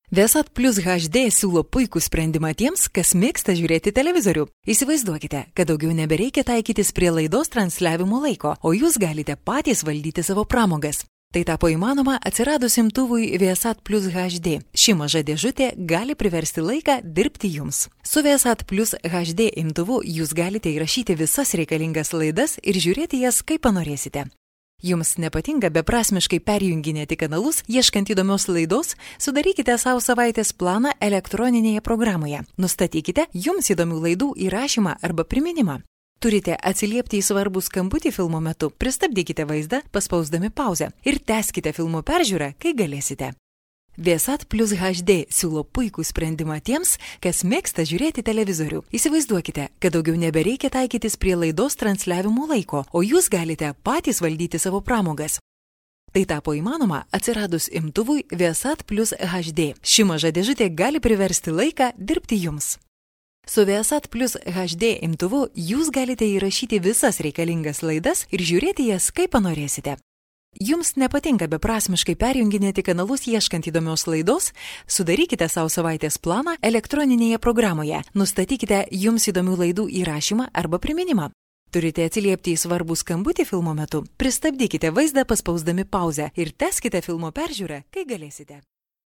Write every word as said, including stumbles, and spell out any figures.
Viasat Plus H D siūlo puikų sprendimą tiems, kas mėgsta žiūrėti televizorių. Įsivaizduokite, kad daugiau nebereikia taikytis prie laidos transliavimo laiko, o jūs galite patys valdyti savo pramogas. Tai tapo įmanoma atsiradus imtuvui Viasat Plus H D. Ši maža dėžutė gali priversti laiką dirbti jums. Su Viasat Plus H D imtuvu jūs galite įrašyti visas reikalingas laidas ir žiūrėti jas kaip panorėsite. Jums nepatinka beprasmiškai perjunginėti kanalus, ieškant įdomios laidos, sudarykite savo savaitės planą elektroninėje programoje. Nustatykite jums įdomių laidų įrašymą arba priminimą. Turite atsiliepti į svarbų skambutį filmo metu, pristabdykite vaizdą, paspausdami pauzę ir tęskite filmo peržiūrą, kai galėsite. Viasat Plus H D siūlo puikų sprendimą tiems, kas mėgsta žiūrėti televizorių. Įsivaizduokite, kad daugiau nebereikia taikytis prie laidos transliavimo laiko, o jūs galite patys valdyti savo pramogas. Tai tapo įmanoma atsiradus imtuvui Viasat Plus H D. Ši maža dėžutė gali priversti laiką dirbti jums. Su Viasat Plus H D imtuvu jūs galite įrašyti visas reikalingas laidas ir žiūrėti jas kaip panorėsite. Jums nepatinka beprasmiškai perjunginėti kanalus ieškant įdomios laidos? Sudarykite savo savaitės planą elektroninėje programoje. Nustatykite jums įdomių laidų įrašymą arba priminimą. Turite atsiliepti į svarbų skambutį filmo metu. Pristabdykite vaizdą paspausdami pauzę ir tęskite filmo peržiūrą, kai galėsite.